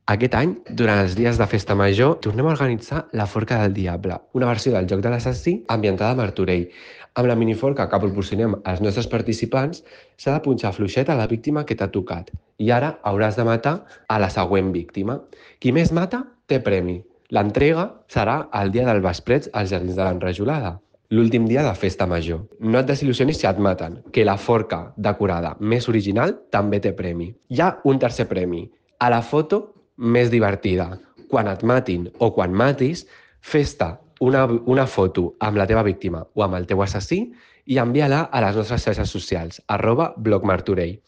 Aquest any, durant els dies de Festa Major, tornem a organitzar la Forca del Diable, una versió del Joc de l'Assassí ambientada a Martorell. Amb la miniforca que proporcionem als nostres participants, s'ha de punxar fluixet a la víctima que t'ha tocat. I ara hauràs de matar a la següent víctima. Qui més mata, té premi. L'entrega serà el dia del Vesprets als Jardins de l'Enrajolada, l'últim dia de Festa Major. No et desil·lusionis si et maten, que la forca decorada més original també té premi. Hi ha un tercer premi, a la foto més divertida. Quan et matin o quan matis, fes-te una foto amb la teva víctima o amb el teu assassí i envia-la a les nostres xarxes socials, @blogmartorell.